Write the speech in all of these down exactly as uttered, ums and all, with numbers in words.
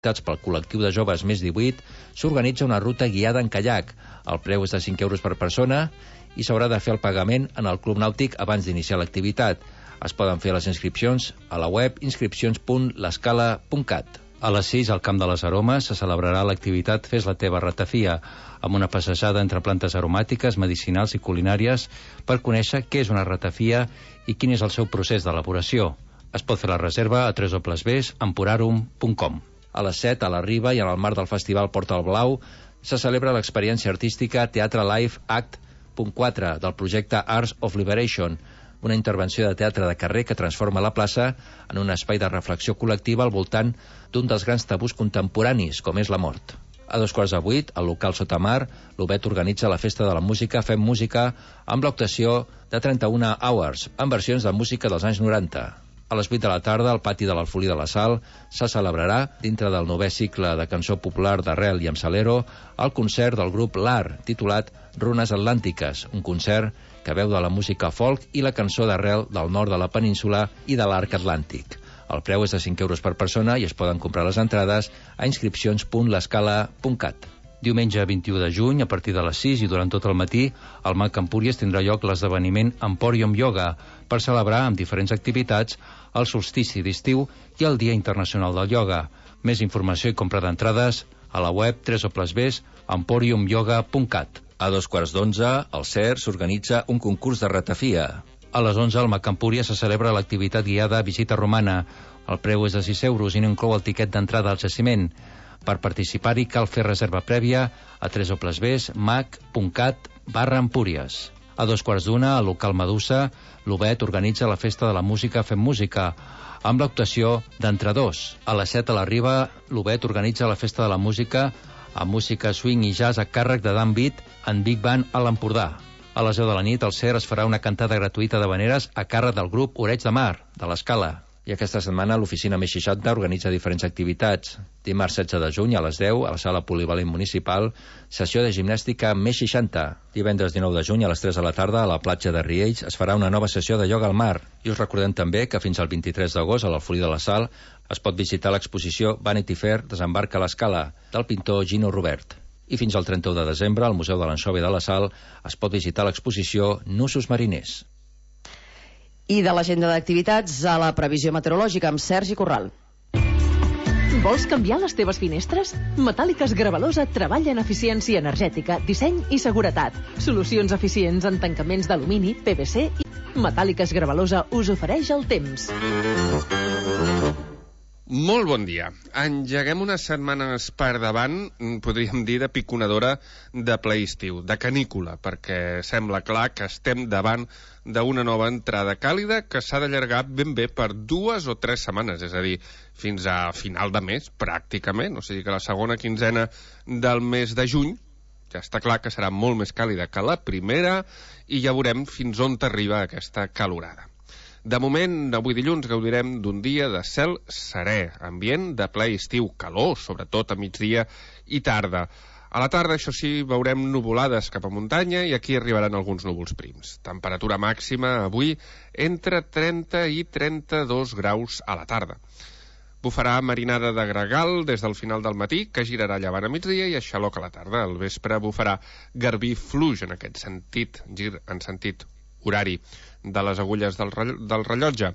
pel col·lectiu de joves més divuit, s'organitza una ruta guiada en caiac. El preu és de cinc euros per persona i s'haurà de fer el pagament en el Club Nàutic abans d'iniciar l'activitat. Es poden fer les inscripcions a la web inscripcions punt l'escala punt cat. A les sis, al Camp de les Aromes, se celebrarà l'activitat Fes la teva ratafia, amb una passejada entre plantes aromàtiques, medicinals i culinàries per conèixer què és una ratafia i quin és el seu procés d'elaboració. Es pot fer la reserva a w w w punt emporarum punt com. A les set, a la Riba i en el marc del Festival Portal Blau, se celebra l'experiència artística Teatre Live Act punt quatre del projecte Arts of Liberation, una intervenció de teatre de carrer que transforma la plaça en un espai de reflexió col·lectiva al voltant d'un dels grans tabús contemporanis, com és la mort. A dos quarts de vuit, al local Sotamar, l'Obet organitza la Festa de la Música Fem Música amb l'actuació de trenta-una Hours, amb versions de música dels anys noranta. A les vuit de la tarda, al pati de l'Alfolí de la Sal, se celebrarà, dintre del novè cicle de cançó popular d'Arrel i amb Salero, el concert del grup L'Ar, titulat Runes Atlàntiques, un concert que veu de la música folk i la cançó d'Arrel del nord de la península i de l'arc atlàntic. El preu és de cinc euros per persona i es poden comprar les entrades a inscripcions punt l'escala punt cat. Diumenge vint-i-u de juny, a partir de les sis i durant tot el matí, al Mac Empúries tindrà lloc l'esdeveniment Emporium Yoga per celebrar amb diferents activitats el solstici d'estiu i el Dia Internacional del Ioga. Més informació i compra d'entrades a la web w w w punt emporium yoga punt cat. A dos quarts d'onze, al C E R s'organitza un concurs de ratafia. A les onze, al Mac Empúries se celebra l'activitat guiada Visita Romana. El preu és de sis euros i no inclou el tiquet d'entrada al jaciment. Per participar-hi cal fer reserva prèvia a w w w punt mac punt cat barra empúries. A dos quarts d'una, al local Medusa, l'Obet organitza la Festa de la Música Fem Música, amb l'actuació d'Entre Dos. A les set, a la Riba, l'Obet organitza la Festa de la Música amb música swing i jazz a càrrec de Dan Beat en Big Band a l'Empordà. A les deu de la nit, al C E R es farà una cantada gratuïta d'havaneres a càrrec del grup Oreig de Mar, de l'Escala. I aquesta setmana l'oficina Més seixanta organitza diferents activitats. Dimarts setze de juny a les deu, a la sala polivalent municipal, sessió de gimnàstica Més seixanta. Divendres dinou de juny a les tres de la tarda, a la platja de Riells, es farà una nova sessió de ioga al mar. I us recordem també que fins al vint-i-tres d'agost, a l'Alfolí de la Sal, es pot visitar l'exposició Vanity Fair Desembarca a l'Escala, del pintor Gino Robert. I fins al trenta-u de desembre, al Museu de l'Ansova i de la Sal, es pot visitar l'exposició Nusos Mariners. I de l'agenda d'activitats a la previsió meteorològica amb Sergi Corral. Vols canviar les teves finestres? Metàl·liques Gravalosa treballa en eficiència energètica, disseny i seguretat. Solucions eficients en tancaments d'alumini, P V C i... Metàl·liques Gravalosa us ofereix el temps. Molt bon dia. Engeguem unes setmanes per davant, podríem dir, de piconadora de ple estiu, de canícula, perquè sembla clar que estem davant d'una nova entrada càlida que s'ha d'allargar ben bé per dues o tres setmanes, és a dir, fins a final de mes, pràcticament, o sigui que la segona quinzena del mes de juny ja està clar que serà molt més càlida que la primera i ja veurem fins on t'arriba aquesta calorada. De moment, avui dilluns, gaudirem d'un dia de cel serè, ambient de ple estiu, calor, sobretot a migdia i tarda. A la tarda, això sí, veurem nuvolades cap a muntanya i aquí arribaran alguns núvols prims. Temperatura màxima avui entre trenta i trenta-dos graus a la tarda. Bufarà marinada de gregal des del final del matí, que girarà llevant a migdia i a xaloc a la tarda. Al vespre bufarà garbí fluix en aquest sentit, gir en sentit horari de les agulles del, del rellotge,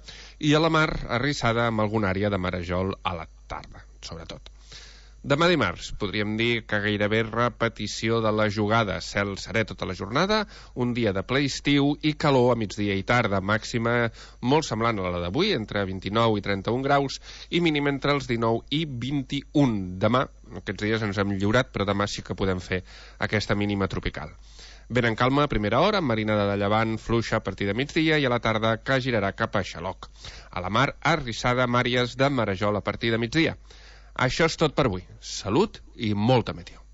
i a la mar arrissada amb alguna àrea de marejol a la tarda, sobretot. Demà dimarts podríem dir que gairebé repetició de la jugada, cel serè tota la jornada, un dia de ple estiu i calor a migdia i tarda, màxima molt semblant a la d'avui, entre vint-i-nou i trenta-un graus, i mínim entre els dinou i vint-i-un. Demà, aquests dies ens hem lliurat, però demà sí que podem fer aquesta mínima tropical. Ben en calma a primera hora, amb marinada de llevant fluixa a partir de migdia i a la tarda que girarà cap a xaloc. A la mar, arrissada amb àrees de marejol a partir de migdia. Això és tot per avui. Salut i molta meteo.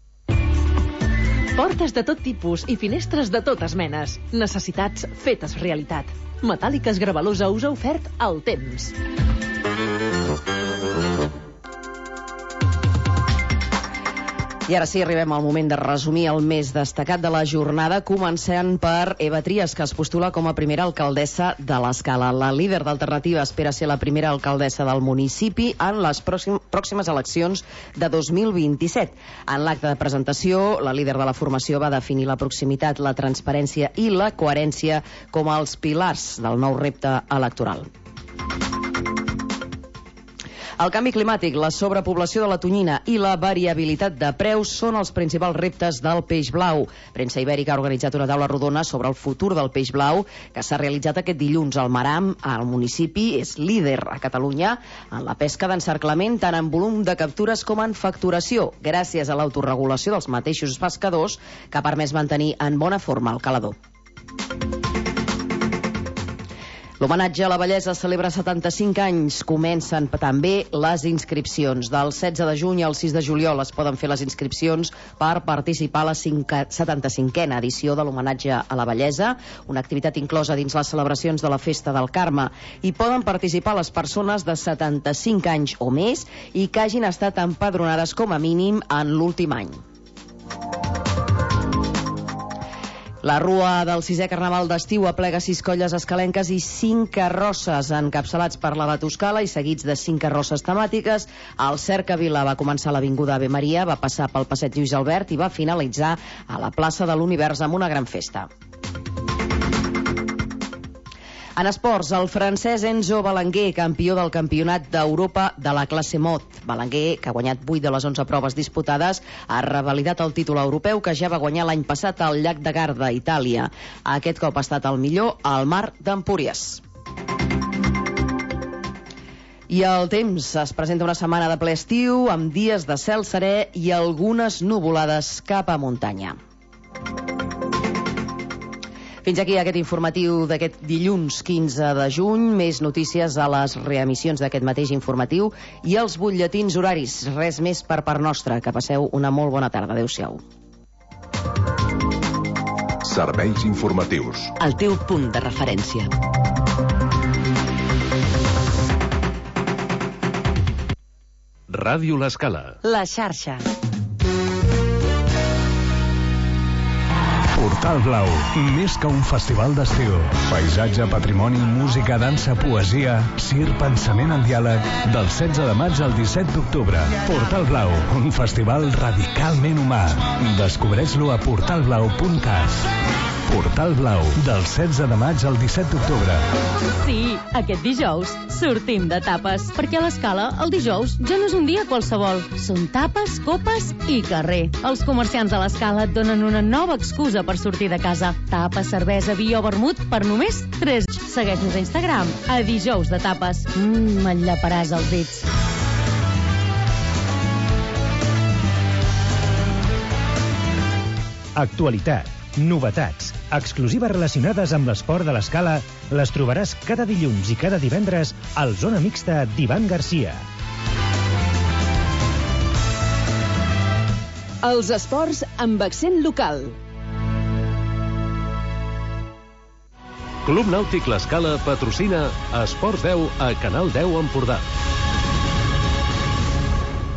Portes de tot tipus i finestres de totes menes. Necessitats fetes realitat. Metàl·liques Gravalosa us ha ofert el temps. I ara sí, arribem al moment de resumir el més destacat de la jornada, començant per Eva Trias, que es postula com a primera alcaldessa de l'Escala. La líder d'Alternativa espera ser la primera alcaldessa del municipi en les pròximes eleccions de dos mil vint-i-set. En l'acte de presentació, la líder de la formació va definir la proximitat, la transparència i la coherència com els pilars del nou repte electoral. El canvi climàtic, la sobrepoblació de la tonyina i la variabilitat de preus són els principals reptes del peix blau. Premsa Ibèrica ha organitzat una taula rodona sobre el futur del peix blau que s'ha realitzat aquest dilluns al Maram. El municipi és líder a Catalunya en la pesca d'encerclament, tant en volum de captures com en facturació, gràcies a l'autoregulació dels mateixos pescadors, que ha permès mantenir en bona forma el calador. L'homenatge a la bellesa celebra setanta-cinc anys. Comencen també les inscripcions. Del setze de juny al sis de juliol es poden fer les inscripcions per participar a la setanta-cinquena edició de l'homenatge a la bellesa, una activitat inclosa dins les celebracions de la Festa del Carme. Hi poden participar les persones de setanta-cinc anys o més i que hagin estat empadronades com a mínim en l'últim any. La rua del sisè Carnaval d'estiu aplega sis colles escalenques i cinc carrosses encapçalats per la Batuscala i seguits de cinc carrosses temàtiques. El Cercavila va començar a l'Avinguda Ave Maria, va passar pel Passeig Lluís Albert i va finalitzar a la plaça de l'Univers amb una gran festa. En esports, el francès Enzo Belenguer, campió del Campionat d'Europa de la classe Mod. Belenguer, que ha guanyat vuit de les onze proves disputades, ha revalidat el títol europeu que ja va guanyar l'any passat al llac de Garda, Itàlia. Aquest cop ha estat el millor al mar d'Empúries. I el temps es presenta una setmana de ple estiu, amb dies de cel serè i algunes nuvolades cap a muntanya. Fins aquí aquest informatiu d'aquest dilluns quinze de juny. Més notícies a les reemissions d'aquest mateix informatiu i els butlletins horaris. Res més per part nostra. Que passeu una molt bona tarda. Adéu-siau. Serveis informatius. El teu punt de referència. Ràdio L'Escala. La xarxa. Portal Blau, més que un festival d'estiu. Paisatge, patrimoni, música, dansa, poesia, cir, pensament en diàleg, del setze de maig al disset d'octubre. Portal Blau, un festival radicalment humà. Descobreix-lo a portal blau punt cat. Portal Blau, del setze de maig al disset d'octubre. Sí, aquest dijous sortim de tapes, perquè a l'Escala el dijous ja no és un dia qualsevol. Són tapes, copes i carrer. Els comerciants de l'Escala et donen una nova excusa per sortir de casa. Tapa, cervesa, vi o vermut per només tres. Segueix-nos a Instagram, a dijous de tapes. Mmm, m'enllaparàs els dits. Actualitat, novetats, exclusives relacionades amb l'esport de l'Escala les trobaràs cada dilluns i cada divendres al Zona Mixta d'Ivan Garcia. Els esports amb accent local. Club Nàutic L'Escala patrocina Esports deu a Canal deu Empordà.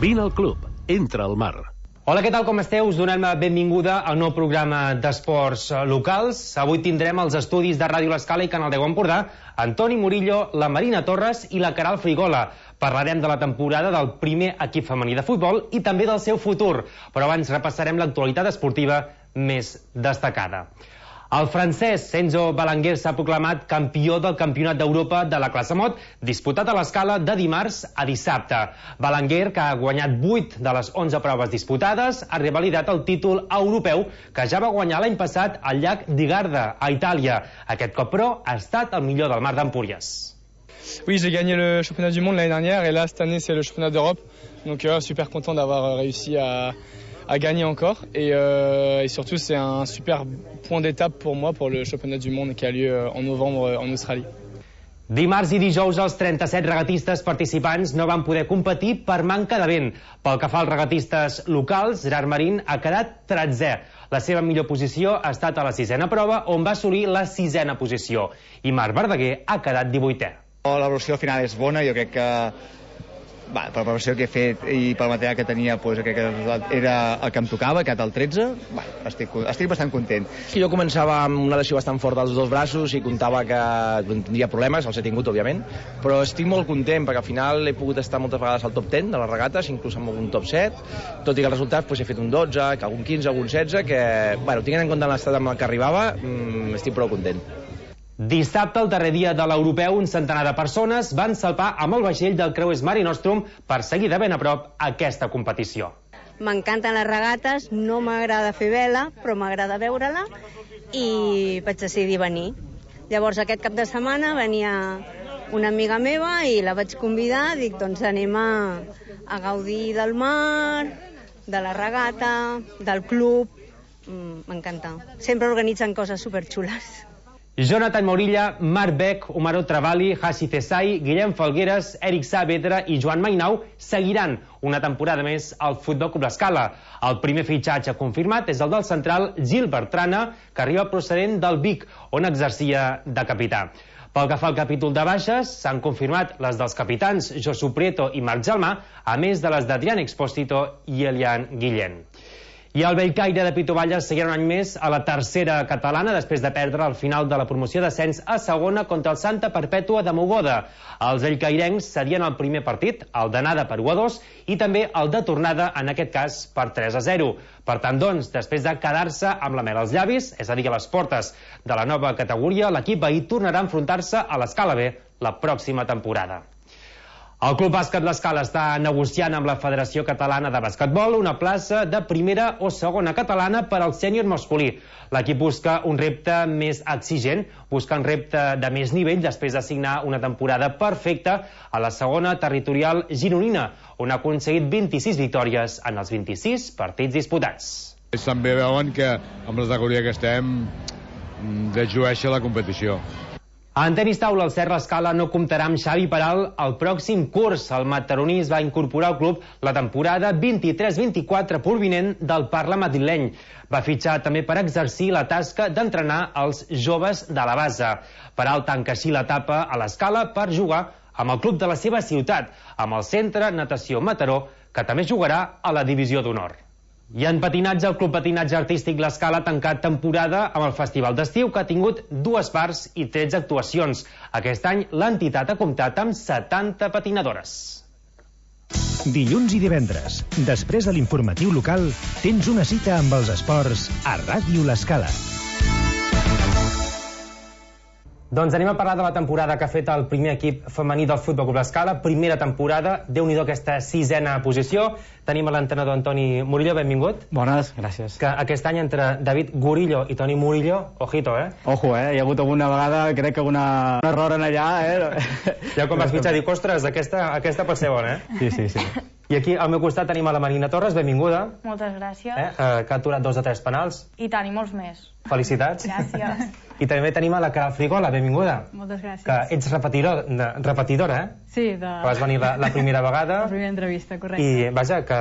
Vine al club, entra al mar. Hola, què tal, com esteu? Us donem la benvinguda al nou programa d'esports locals. Avui tindrem els estudis de Ràdio L'Escala i Canal deu Empordà, Antoni Murillo, la Marina Torres i la Caral Frigola. Parlarem de la temporada del primer equip femení de futbol i també del seu futur. Però abans repassarem l'actualitat esportiva més destacada. El francès Enzo Belenguer s'ha proclamat campió del Campionat d'Europa de la classe Mod, disputat a l'Escala de dimarts a dissabte. Belenguer, que ha guanyat vuit de les onze proves disputades, ha revalidat el títol europeu que ja va guanyar l'any passat al llac di Garda, a Itàlia. Aquest cop, però, ha estat el millor del mar d'Empúries. Oui, j'ai gagné le championnat du monde l'année dernière et là, cette année, c'est le championnat d'Europe. Donc, euh, super content d'avoir réussi à... à gagner encore et, euh, et surtout c'est un super point d'étape pour moi pour le championnat du monde qui a lieu en novembre en Australie. Dimarts i dijous els trenta-set regatistes participants no van poder competir per manca de vent. Pel que fa als regatistes locals, Gerard Marín ha quedat tretzè. La seva millor posició ha estat a la sisena prova, on va assolir la sisena posició. I Marc Verdaguer ha quedat divuitè. L'evolució final és bona, jo crec que Va, per la preparació que he fet i pel material que tenia, doncs, crec que el resultat era el que em tocava, que el tretze. Va, estic, estic bastant content. Jo començava amb una lesió bastant forta als dos braços i comptava que tindria problemes, els he tingut, òbviament, però estic molt content perquè al final he pogut estar moltes vegades al top deu de les regates, inclús amb algun top set, tot i que el resultat doncs, he fet un dotze, que algun quinze, algun setze, que, bueno, tinguent en compte l'estat amb el que arribava, mmm, estic prou content. Dissabte, el darrer dia de l'Europeu, un centenar de persones van salpar amb el vaixell del creuers Mare Nostrum per seguir de ben a prop aquesta competició. M'encanten les regates, no m'agrada fer vela, però m'agrada veure-la i vaig decidir venir. Llavors aquest cap de setmana venia una amiga meva i la vaig convidar, dic, doncs anem a, a gaudir del mar, de la regata, del club, m'encanta. Sempre organitzen coses superxules. Jonathan Morilla, Marc Beck, Omaro Travali, Hassi Cesai, Guillem Falgueres, Eric Saavedra i Joan Mainau seguiran una temporada més al Futbol Club L'Escala. El primer fitxatge confirmat és el del central Gil Bertrana, que arriba procedent del Vic, on exercia de capità. Pel que fa al capítol de baixes, s'han confirmat les dels capitans Josu Prieto i Marc Gelmà, a més de les d'Adrián Expósito i Elian Guillén. I el Bellcaire de Pitovalles seguirà un any més a la tercera catalana després de perdre al final de la promoció d'ascens a segona contra el Santa Perpètua de Mogoda. Els bellcairencs serien el primer partit, el d'anada per u a dos, i també el de tornada, en aquest cas, per tres a zero. Per tant, doncs, després de quedar-se amb la mel als llavis, és a dir, a les portes de la nova categoria, l'equip veí tornarà a enfrontar-se a l'Escala B la pròxima temporada. El Club Bàsquet L'Escala està negociant amb la Federació Catalana de Basquetbol una plaça de primera o segona catalana per al sènior masculí. L'equip busca un repte més exigent, busca un repte de més nivell després de signar una temporada perfecta a la segona territorial gironina, on ha aconseguit vint-i-sis victòries en els vint-i-sis partits disputats. També veuen que amb la categoria que estem desllueix la competició. En tenis taula, el Cert L'Escala no comptarà amb Xavi Peral el pròxim curs. El mataroní es va incorporar al club la temporada vint-i-tres vint-i-quatre provinent del Parla madrileny. Va fitxar també per exercir la tasca d'entrenar els joves de la base. Peral tanca així l'etapa a l'Escala per jugar amb el club de la seva ciutat, amb el Centre Natació Mataró, que també jugarà a la Divisió d'Honor. I en patinatge, el Club Patinatge Artístic L'Escala ha tancat temporada amb el Festival d'Estiu, que ha tingut dues parts i tretze actuacions. Aquest any l'entitat ha comptat amb setanta patinadores. Dilluns i divendres, després de l'informatiu local, tens una cita amb els esports a Ràdio L'Escala. Doncs anem a parlar de la temporada que ha fet el primer equip femení del Futbol Club L'Escala. Primera temporada, Déu-n'hi-do aquesta sisena posició. Tenim a l'entrenador Antoni Murillo, benvingut. Bones, gràcies. Que aquest any entre David Gurillo i Toni Murillo, ojito, eh? Ojo, eh? Hi ha hagut alguna vegada, crec que una... un error en allà, eh? Ja quan vas fitxar, dic, ostres, aquesta, aquesta pot ser bona, eh? Sí, sí, sí. I aquí al meu costat tenim a la Marina Torres, benvinguda. Moltes gràcies. Eh? Que ha aturat dos de tres penals. I tant, i molts més. Felicitats. Gràcies. I també tenim a la Caral Frigola, benvinguda. Moltes gràcies. Que ets repetidor, de, repetidora, eh? Sí, de... Que vas venir la, la primera vegada. La primera entrevista, correcte. I vaja, que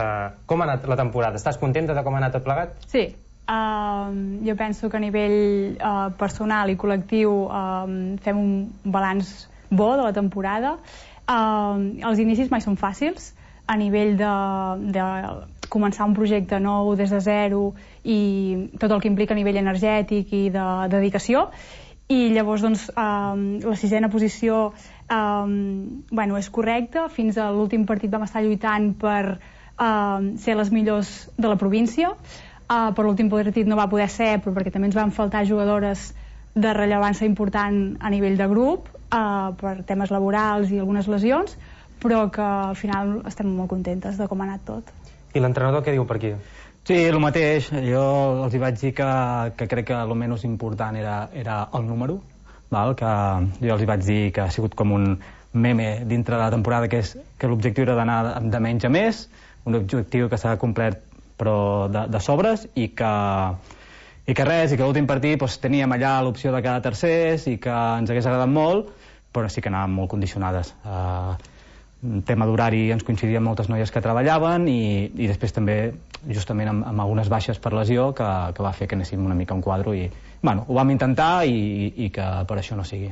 com ha anat la temporada? Estàs contenta de com ha anat tot plegat? Sí. Uh, jo penso que a nivell uh, personal i col·lectiu uh, fem un balanç bo de la temporada. Uh, els inicis mai són fàcils, a nivell de, de començar un projecte nou des de zero i tot el que implica a nivell energètic i de, de dedicació. I llavors doncs, um, la sisena posició um, bueno, és correcta. Fins a l'últim partit vam estar lluitant per um, ser les millors de la província. Uh, per l'últim partit no va poder ser, però perquè també ens van faltar jugadores de rellevància important a nivell de grup, uh, per temes laborals i algunes lesions, però que al final estem molt contentes de com ha anat tot. I l'entrenador què diu per aquí? Sí, el mateix. Jo els hi vaig dir que, que crec que el menys important era, era el número, val? Que jo els hi vaig dir que ha sigut com un meme dintre de la temporada, que, és, que l'objectiu era d'anar de menys a més, un objectiu que s'ha complert però de, de sobres, i que, i que res, i que l'últim partit doncs, teníem allà l'opció de quedar tercers i que ens hagués agradat molt, però sí que anàvem molt condicionades. Uh, tema d'horari ens coincidien moltes noies que treballaven i, i després també justament amb, amb algunes baixes per lesió que, que va fer que anéssim una mica a un quadre i bueno, ho vam intentar i, i que per això no sigui.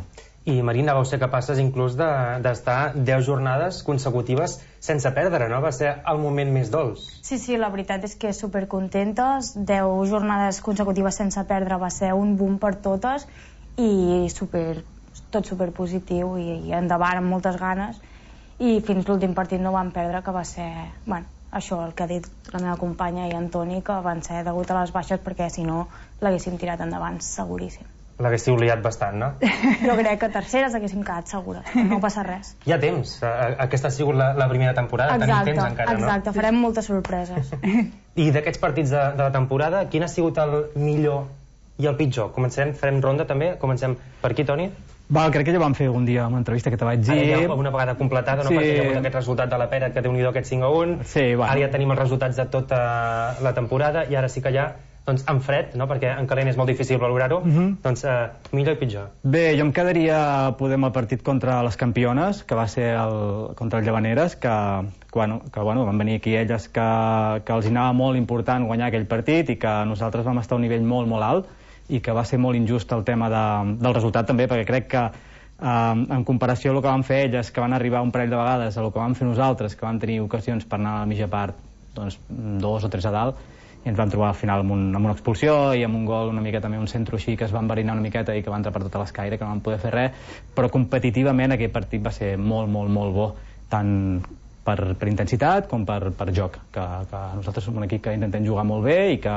I, Marina, vau ser capaces inclús d'estar deu jornades consecutives sense perdre, no? Va ser el moment més dolç. Sí, sí, la veritat és que supercontentes. deu jornades consecutives sense perdre va ser un boom per totes i super, tot superpositiu i, i endavant amb moltes ganes. I fins l'últim partit no vam perdre, que va ser... Bueno, això, el que ha dit la meva companya i Antoni, que van ser degut a les baixes, perquè si no l'haguéssim tirat endavant, seguríssim. L'haguéssiu liat bastant, no? Jo crec que terceres haguéssim quedat segures, no passa res. Hi ha temps, aquesta ha sigut la, la primera temporada, exacte, tenim temps encara, exacte, no? Exacte, farem moltes sorpreses. I d'aquests partits de, de la temporada, quin ha sigut el millor i el pitjor? Comencem, farem ronda també, comencem per aquí, Toni? Va, crec que ja vam fer un dia una entrevista que te vaig dir... Ara ja una vegada completada, no? Sí. Perquè hi ha hagut aquest resultat de la Pera, que déu-n'hi-do aquest cinc a un. Sí, bueno. Ara ja tenim els resultats de tota la temporada i ara sí que ja, doncs, en fred, no? Perquè en calent és molt difícil valorar-ho, uh -huh. doncs eh, millor i pitjor. Bé, jo em quedaria, podem, el partit contra les campiones, que va ser el, contra el Llavaneres, que, bueno, que bueno, van venir aquí elles que, que els hi anava molt important guanyar aquell partit i que nosaltres vam estar a un nivell molt, molt alt i que va ser molt injust el tema de, del resultat també, perquè crec que eh, en comparació a el que van fer elles, que van arribar un parell de vegades, a el que vam fer nosaltres, que vam tenir ocasions per anar a la mitja part, doncs dos o tres a dalt, i ens vam trobar al final amb, un, amb una expulsió i amb un gol una mica també, un centre així que es va enverinar una miqueta i que va entrar per tota l'escaire, que no vam poder fer res, però competitivament aquell partit va ser molt, molt, molt bo, tant per, per intensitat com per, per joc, que, que nosaltres som un equip que intentem jugar molt bé i que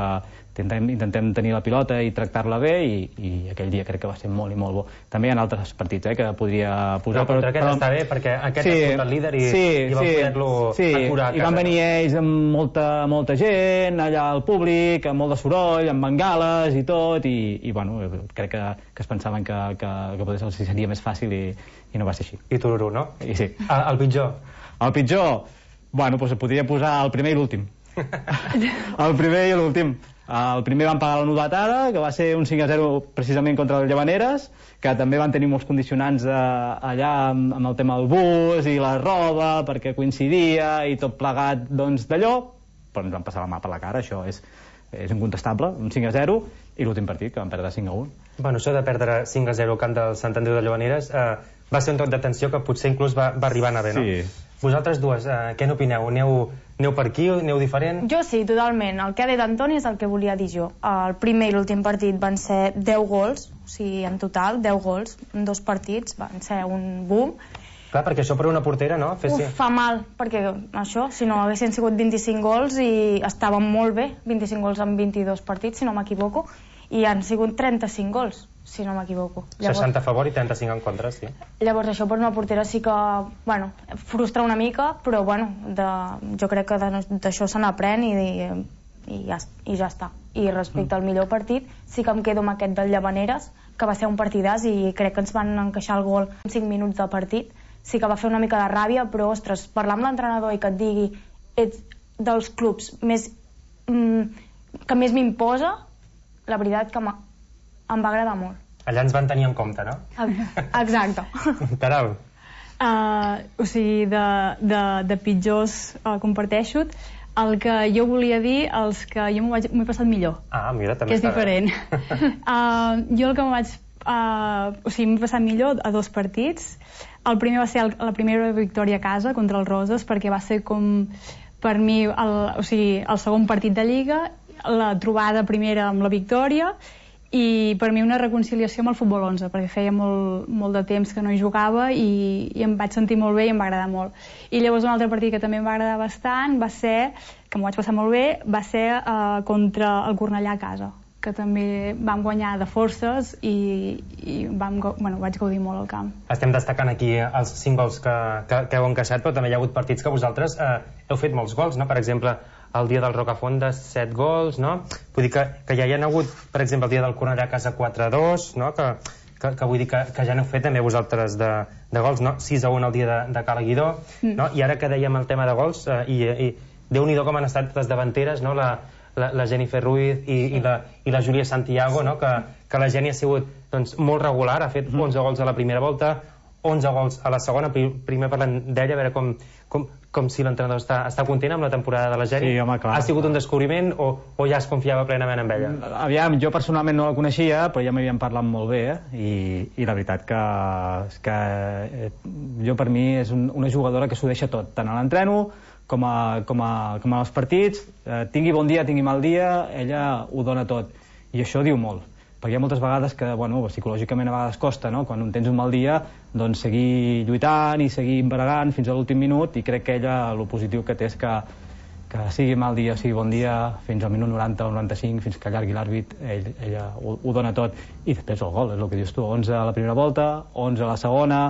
intentem, intentem tenir la pilota i tractar-la bé i, i aquell dia crec que va ser molt i molt bo. També hi ha altres partits eh, que podria posar... Però contra aquest però... està bé, perquè aquest sí, és el líder i, sí, i va sí, poder-lo sí, acurar a casa. I van venir ells amb molta, molta gent, allà al públic, amb molt de soroll, amb bengales i tot, i, i bueno, crec que, que es pensaven que, que, que potser seria més fàcil i, i no va ser així. I tururú, no? I sí. El, el pitjor? El pitjor? Bueno, doncs podria posar el primer i l'últim. El primer i l'últim. El primer van pagar la novetada, que va ser un cinc a zero precisament contra el Llavaneres, que també van tenir molts condicionants eh, allà amb, amb el tema del bus i la roba, perquè coincidia i tot plegat doncs d'allò, però ens van passar la mà per la cara, això és, és incontestable, un cinc a zero, i l'últim partit, que van perdre cinc a un. Bueno, això de perdre cinc a zero al camp del Sant Andreu de Llavaneres eh, va ser un toc d'atenció que potser inclús va, va arribar a anar bé, no? Sí. Vosaltres dues, eh, què n'opineu? Aneu, aneu per aquí? Aneu diferent? Jo sí, totalment. El que ha dit Antoni és el que volia dir jo. El primer i l'últim partit van ser deu gols, o sigui, en total, deu gols en dos partits, van ser un boom. Clar, perquè això per una portera, no? Fessi... Uf, fa mal, perquè això, si no haguessin sigut vint-i-cinc gols i estàvem molt bé, vint-i-cinc gols en vint-i-dos partits, si no m'equivoco, i han sigut trenta-cinc gols, si no m'equivoco. Llavors... seixanta a favor i trenta-cinc en contra, sí. Llavors això per una portera sí que, bueno, frustra una mica, però bueno, de, jo crec que d'això se n'aprèn i, i, i, ja, i ja està. I respecte mm. al millor partit, sí que em quedo amb aquest del Llavaneres, que va ser un partidàs i crec que ens van encaixar el gol en cinc minuts de partit. Sí que va fer una mica de ràbia, però ostres, parlar amb l'entrenador i que et digui ets dels clubs més, mm, que més m'imposa, la veritat que em va agradar molt. Allà ens van tenir en compte, no? Exacte. Caral. Uh, o sigui, de, de, de pitjors uh, comparteixo. El que jo volia dir, els que jo m'ho he passat millor. Ah, mira, també que és diferent. uh, jo el que m'ho vaig... Uh, o sigui, m'he passat millor a dos partits. El primer va ser el, la primera victòria a casa contra el Roses, perquè va ser com, per mi, el, o sigui, el segon partit de Lliga, la trobada primera amb la victòria, i per mi una reconciliació amb el futbol onze, perquè feia molt, molt de temps que no hi jugava i, i em vaig sentir molt bé i em va agradar molt. I llavors un altre partit que també em va agradar bastant va ser, que m'ho vaig passar molt bé, va ser uh, contra el Cornellà a casa, que també vam guanyar de forces i, i vam, bueno, vaig gaudir molt al camp. Estem destacant aquí els cinc gols que, que, que heu encaixat, però també hi ha hagut partits que vosaltres eh, heu fet molts gols, no? Per exemple, el dia del Rocafonda, set gols, no? Vull dir que, que ja hi ha hagut, per exemple, el dia del Cornellà a casa quatre a dos, no? Que, que, que vull dir que, que ja n'heu fet també vosaltres de, de gols, no? sis a un el dia de, de Cala Guidó, mm. no? I ara que dèiem el tema de gols, eh, i, i déu-n'hi-do com han estat les davanteres, no? La, la, la Jennifer Ruiz i, i, la, i la Júlia Santiago, no? Que, que la Geni ha sigut doncs, molt regular, ha fet onze gols a la primera volta, onze gols a la segona. Primer parlant d'ella, a veure com, com, com si l'entrenador està, està content amb la temporada de la Geni? Sí, home, clar. Ha sigut un descobriment o, o ja es confiava plenament en ella? Aviam, jo personalment no la coneixia, però ja m'havien parlat molt bé, eh? I, i la veritat que, que eh, jo per mi és un, una jugadora que s'ho deixa tot, tant a l'entreno com a, com a, com a els partits, eh, tingui bon dia, tingui mal dia, ella ho dona tot, i això diu molt. Perquè hi ha moltes vegades que, bueno, psicològicament a vegades costa, no? Quan tens un mal dia, doncs seguir lluitant i seguir bregant fins a l'últim minut, i crec que ella, el positiu que té és que, que sigui mal dia, sigui bon dia, fins al minut noranta o noranta-cinc, fins que allargui l'àrbit, ell, ella ho, ho dona tot. I després el gol, és el que dius tu, onze a la primera volta, onze a la segona,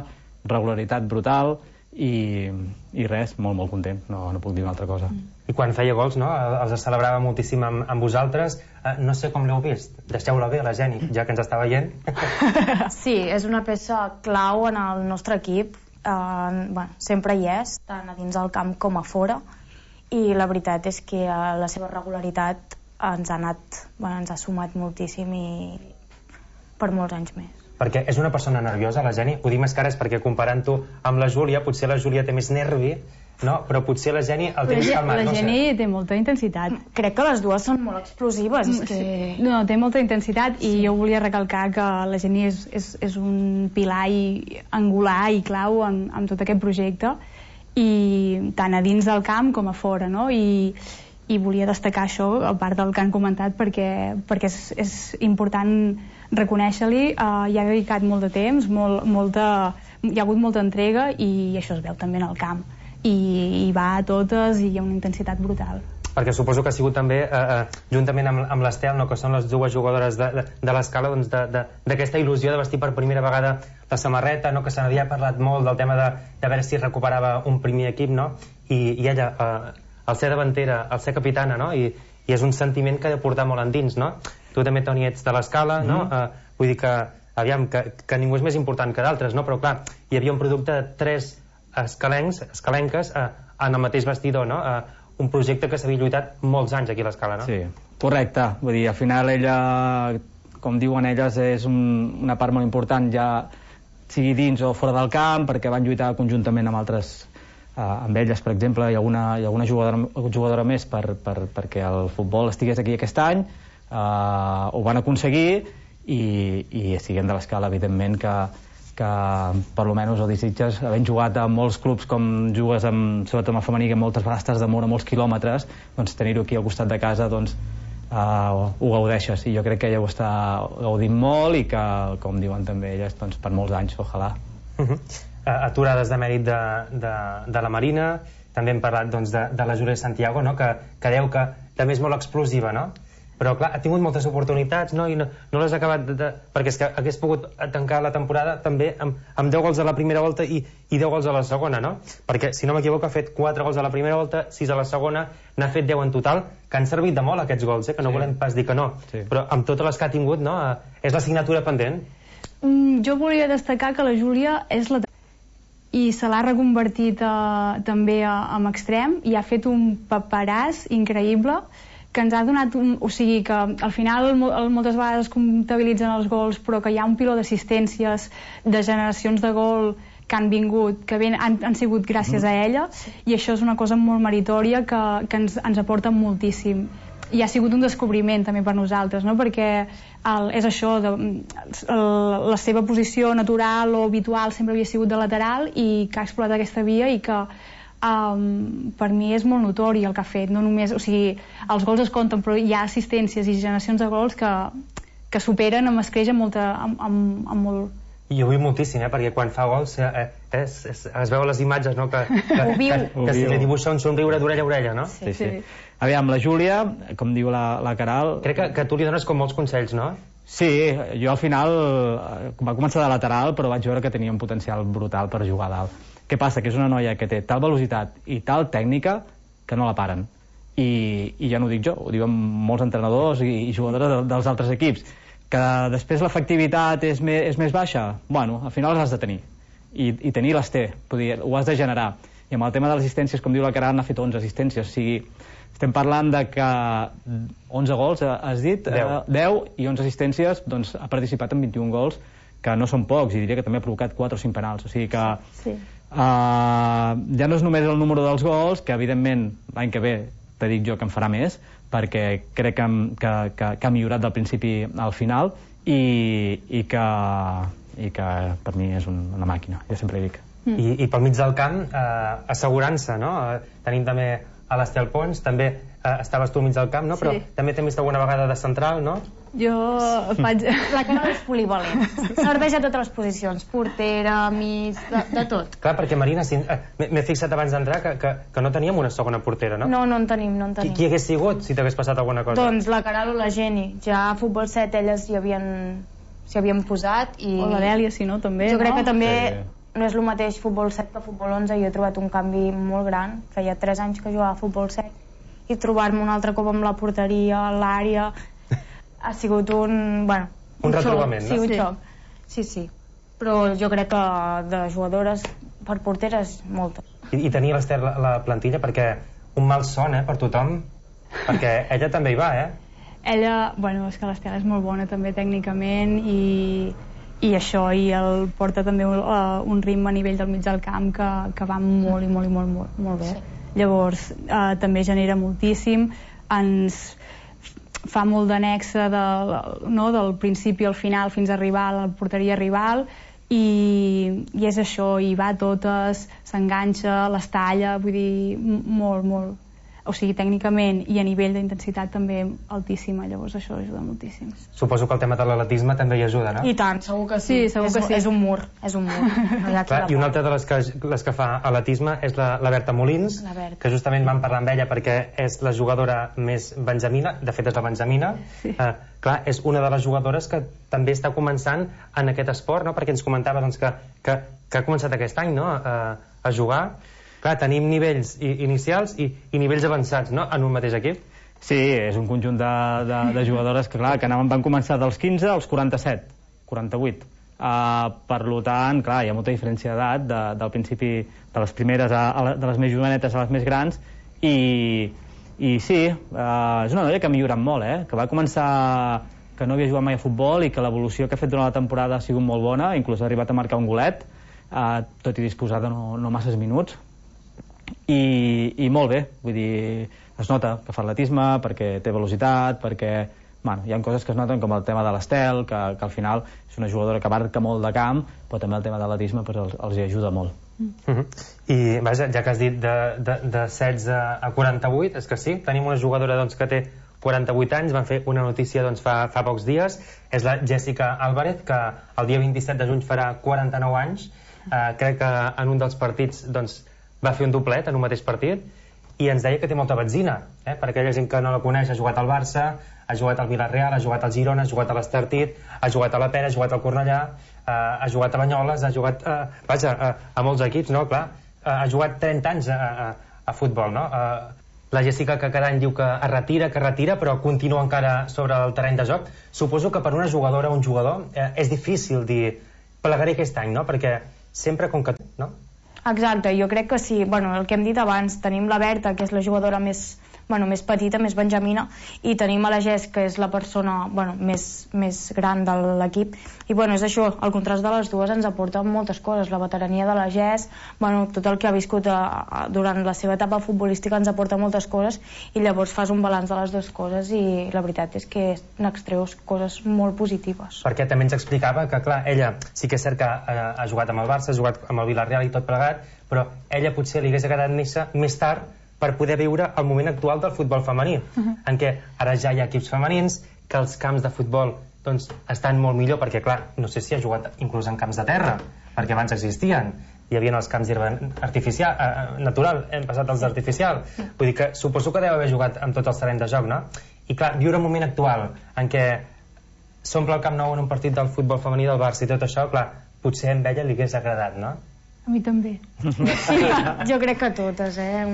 regularitat brutal, i, i res, molt, molt content, no, no puc dir una altra cosa. I quan feia gols, no? Els celebrava moltíssim amb, amb vosaltres. Eh, no sé com l'heu vist. Deixeu-la bé, la Geni, ja que ens està veient. Sí, és una peça clau en el nostre equip. Eh, bueno, sempre hi és, tant a dins del camp com a fora. I la veritat és que eh, la seva regularitat ens ha anat, bueno, ens ha sumat moltíssim i per molts anys més. Perquè és una persona nerviosa, la Geni. Ho dic més que ara és perquè comparant-ho amb la Júlia, potser la Júlia té més nervi, no? Però potser la Geni el té més calmat. La no Geni sé. té molta intensitat. Crec que les dues són molt explosives. És que... No, té molta intensitat, i jo volia recalcar que la Geni és, és, és un pilar i angular i clau en, en tot aquest projecte, i tant a dins del camp com a fora, no? I, i volia destacar això, a part del que han comentat, perquè, perquè és, és important reconèixer-li. Uh, hi ha dedicat molt de temps, molt, molta, hi ha hagut molta entrega, i això es veu també en el camp, i, i va a totes, i hi ha una intensitat brutal. Perquè suposo que ha sigut també, eh, eh, juntament amb, amb l'Estel, no, que són les dues jugadores de, de, de l'Escala, doncs d'aquesta il·lusió de vestir per primera vegada la samarreta, no, que se n'havia parlat molt del tema de, de veure si recuperava un primer equip, no? I, i ella, eh, al ser davantera, al ser capitana, no? I, i és un sentiment que ha de portar molt endins, no? Tu també, Toni, ets de l'Escala, no? Mm. Eh, vull dir que, aviam, que, que ningú és més important que d'altres, no? Però clar, hi havia un producte de tres escalencs, escalenques eh, en el mateix vestidor, no? Eh, un projecte que s'havia lluitat molts anys aquí a l'Escala, no? Sí, correcte. Vull dir, al final ella, com diuen elles, és un, una part molt important, ja sigui dins o fora del camp, perquè van lluitar conjuntament amb altres, eh, amb elles, per exemple, hi ha alguna, hi ha alguna jugadora, jugadora més per, per, perquè el futbol estigués aquí aquest any, eh, ho van aconseguir, i, i siguem de l'Escala, evidentment, que que per lo menys o desitges, havent jugat a molts clubs com jugues amb, sobretot amb el femení, que moltes vegades estàs de mort a molts quilòmetres, doncs tenir-ho aquí al costat de casa, doncs uh, ho gaudeixes, i jo crec que ella ho està gaudint molt, i que, com diuen també elles, doncs per molts anys, ojalà. Uh -huh. uh, aturades de mèrit de, de, de la Marina, també hem parlat doncs, de, de la Júlia Santiago, no? que, que deu que també és molt explosiva, no? Però clar, ha tingut moltes oportunitats, no? I no, no les ha acabat de, de, perquè és que hagués pogut tancar la temporada també amb, amb deu gols a la primera volta i, i deu gols a la segona, no? Perquè, si no m'equivoco, ha fet quatre gols a la primera volta, sis a la segona, n'ha fet deu en total, que han servit de molt aquests gols, eh? Que no sí. volem pas dir que no, sí. Però amb totes les que ha tingut, no? És l'assignatura pendent. Mm, jo volia destacar que la Júlia és la... i se l'ha reconvertit eh, també a, amb extrem, i ha fet un paperàs increïble, que ens ha donat un... O sigui, que al final moltes vegades es comptabilitzen els gols, però que hi ha un piló d'assistències, de generacions de gol que han vingut, que ben, han, han sigut gràcies a ella, i això és una cosa molt meritòria que, que ens, ens aporta moltíssim. I ha sigut un descobriment també per nosaltres, no? Perquè el, és això, de, el, la seva posició natural o habitual sempre havia sigut de lateral, i que ha explorat aquesta via, i que Um, per mi és molt notori el que ha fet, no només, o sigui, els gols es compten, però hi ha assistències i generacions de gols que, que superen amb escreix amb, molta, amb, amb, amb molt... I ho viu moltíssim, eh? Perquè quan fa gols eh, és, és, es veu a les imatges, no? Que, que, ho viu. Que, que, que li dibuixa un somriure d'orella a orella, no? Sí, sí. sí. Aviam, la Júlia, com diu la, la Caral... Crec que, que tu li dones com molts consells, no? Sí, jo al final va començar de lateral, però vaig veure que tenia un potencial brutal per jugar a dalt. Què passa? Que és una noia que té tal velocitat i tal tècnica que no la paren. I, i ja no ho dic jo, ho diuen molts entrenadors i, i jugadores de, dels altres equips. Que després l'efectivitat és, me, és més baixa, bueno, al final les has de tenir. I, i tenir les té, dir, ho has de generar. I amb el tema de les assistències, com diu la Caral, n'ha fet onze assistències. O sigui, estem parlant de que onze gols, has dit? deu, i onze assistències, doncs ha participat en vint-i-un gols, que no són pocs, i diria que també ha provocat quatre o cinc penals. O sigui que... Sí. Uh, ja no és només el número dels gols, que evidentment l'any que ve te dic jo que en farà més, perquè crec que, que, que, que ha millorat del principi al final i, i, que, i que per mi és un, una màquina, jo sempre dic. Mm. I, I pel mig del camp, eh, assegurança, no? Eh, tenim també a l'Estel Pons, també eh, estaves tu al mig del camp, no? Però sí. també t'hem vist alguna vegada de central, no? Jo faig... La Caral és polivalent. Serveix a totes les posicions. Portera, mig, de, de tot. Clar, perquè Marina, si, eh, m'he fixat abans d'entrar que, que, que no teníem una segona portera, no? No, no en tenim, no en tenim. Qui, qui hagués sigut si t'hagués passat alguna cosa? Doncs la Caral o la Geni. Ja a futbol set elles hi havien s'hi havien posat i... O la Dèlia, si no, també, jo no? crec que també Sí. no és el mateix futbol set que futbol onze. Jo he trobat un canvi molt gran. Feia tres anys que jugava a futbol set i trobar-me un altre cop amb la porteria, l'àrea... ha sigut un... bueno, un, un retrobament, xoc, no? Sí, un Sí. xoc. Sí, sí. Però jo crec que de jugadores per porteres, moltes. I, i tenia l'Ester la, la plantilla perquè un mal son, eh, per tothom, perquè ella també hi va, eh? Ella, bueno, és que l'Estela és molt bona també tècnicament i, i això, i el porta també un, uh, un ritme a nivell del mig del camp que, que va molt i molt i molt, molt, molt bé. Sí. Llavors, uh, també genera moltíssim, ens fa molt d'annexa de, no, del principi al final fins a arribar a la porteria rival i, i és això, i va a totes, s'enganxa, les talla, vull dir, molt, molt, o sigui, tècnicament i a nivell d'intensitat també altíssima, llavors això ajuda moltíssim. Suposo que el tema de l'atletisme també hi ajuda, no? I tant, segur que sí, Sí, segur és, que sí. és un mur, és un mur. No hi ha Clar, I una altra de les que, les que fa atletisme és la, la Berta Molins, La Berta. que justament vam parlar amb ella perquè és la jugadora més benjamina, de fet és la benjamina. Sí. Eh, clar, és una de les jugadores que també està començant en aquest esport, no? Perquè ens comentava doncs, que, que, que ha començat aquest any, no? a, a jugar. Clar, tenim nivells i, inicials i, i nivells avançats, no?, en un mateix equip. Sí, és un conjunt de, de, de jugadores que, clar, que anaven, van començar dels quinze als quaranta-set, quaranta-vuit. Uh, per tant, clar, hi ha molta diferència d'edat de, del principi de les primeres a, a la, de les més jovenetes a les més grans i, i sí, uh, és una noia que ha millorat molt, eh? Que va començar que no havia jugat mai a futbol i que l'evolució que ha fet durant la temporada ha sigut molt bona, inclús ha arribat a marcar un golet, uh, tot i disposar de no, no masses minuts. I, i molt bé, vull dir, es nota que fa atletisme perquè té velocitat, perquè bueno, hi ha coses que es noten com el tema de l'Estel, que, que al final és una jugadora que abarca molt de camp, però també el tema de l'atletisme pues, els, els hi ajuda molt. Mm. Uh-huh. I vaja, ja que has dit de, de, de setze a quaranta-vuit, és que sí, tenim una jugadora doncs, que té quaranta-vuit anys, van fer una notícia doncs, fa, fa pocs dies, és la Jessica Álvarez, que el dia vint-i-set de juny farà quaranta-nou anys, eh, crec que en un dels partits doncs, va fer un doblet en un mateix partit i ens deia que té molta benzina, eh? Per aquella gent que no la coneix, ha jugat al Barça, ha jugat al Villarreal, ha jugat al Girona, ha jugat a l'Estartit, ha jugat a la Pera, ha jugat al Cornellà, eh, ha jugat a Banyoles, ha jugat eh, vaja, a, a molts equips, no? Clar, eh, ha jugat trenta anys a, a, a futbol, no? Eh, la Jessica que cada any diu que es retira, que es retira, però continua encara sobre el terreny de joc. Suposo que per una jugadora o un jugador eh, és difícil dir plegaré aquest any, no? Perquè sempre com que... no? Exacte, jo crec que sí. Bueno, el que hem dit abans, tenim la Berta, que és la jugadora més, bueno, més petita, més benjamina, i tenim a la Jess, que és la persona bueno, més, més gran de l'equip. I bueno, és això, el contrast de les dues ens aporta moltes coses. La veterania de la Jess, bueno, tot el que ha viscut a, a, durant la seva etapa futbolística ens aporta moltes coses, i llavors fas un balanç de les dues coses i la veritat és que n'extreus coses molt positives. Perquè també ens explicava que, clar, ella sí que és cert que ha, ha jugat amb el Barça, ha jugat amb el Villarreal i tot plegat, però ella potser li hagués agradat néixer més tard per poder viure el moment actual del futbol femení, uh-huh. en què ara ja hi ha equips femenins, que els camps de futbol doncs, estan molt millor, perquè clar, no sé si ha jugat inclús en camps de terra, perquè abans existien, hi havia els camps artificial, eh, natural, hem passat als artificial, vull dir que suposo que deu haver jugat amb tots els terrenys de joc, no? I clar, viure un moment actual en què s'omple el Camp Nou en un partit del futbol femení del Barça i tot això, clar, potser a ella li hagués agradat, no? A mi també. Sí, jo crec que totes, eh?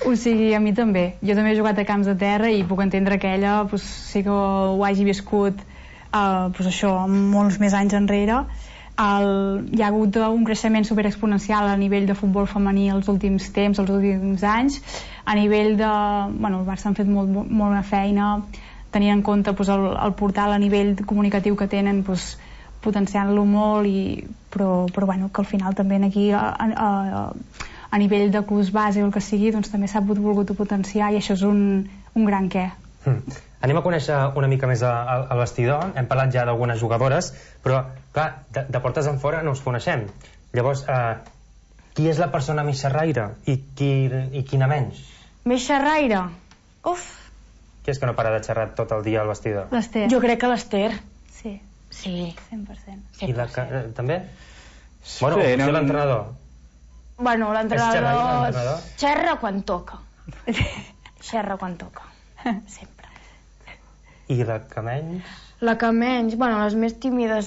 O sigui, a mi també. Jo també he jugat a camps de terra i puc entendre que ella pues, sí que ho hagi viscut uh, pues això, molts més anys enrere. El, hi ha hagut un creixement superexponencial a nivell de futbol femení els últims temps, els últims anys. A nivell de... Bueno, el Barça han fet molt, molt, molt bona feina, tenint en compte pues, el, el portal a nivell comunicatiu que tenen, pues, potenciant-lo molt, i, però, però bueno, que al final també aquí a, a, a nivell de clubs base o el que sigui, doncs també s'ha volgut potenciar, i això és un, un gran què. Mm. Anem a conèixer una mica més al vestidor. Hem parlat ja d'algunes jugadores, però clar, de, de portes en fora no us coneixem. Llavors, eh, qui és la persona més xerraire i, qui, i quina menys? Més xerraire? Uf! Qui és que no para de xerrar tot el dia al vestidor? L'Ester. Jo crec que l'Ester. Sí. Sí. cent per cent. I la, eh, també? Sí, bueno, o no... l'entrenador? Bueno, l'entrenador... l'entrenador? Xerra quan toca. Xerra quan toca. Sempre. I la que menys? La que menys, bueno, les més tímides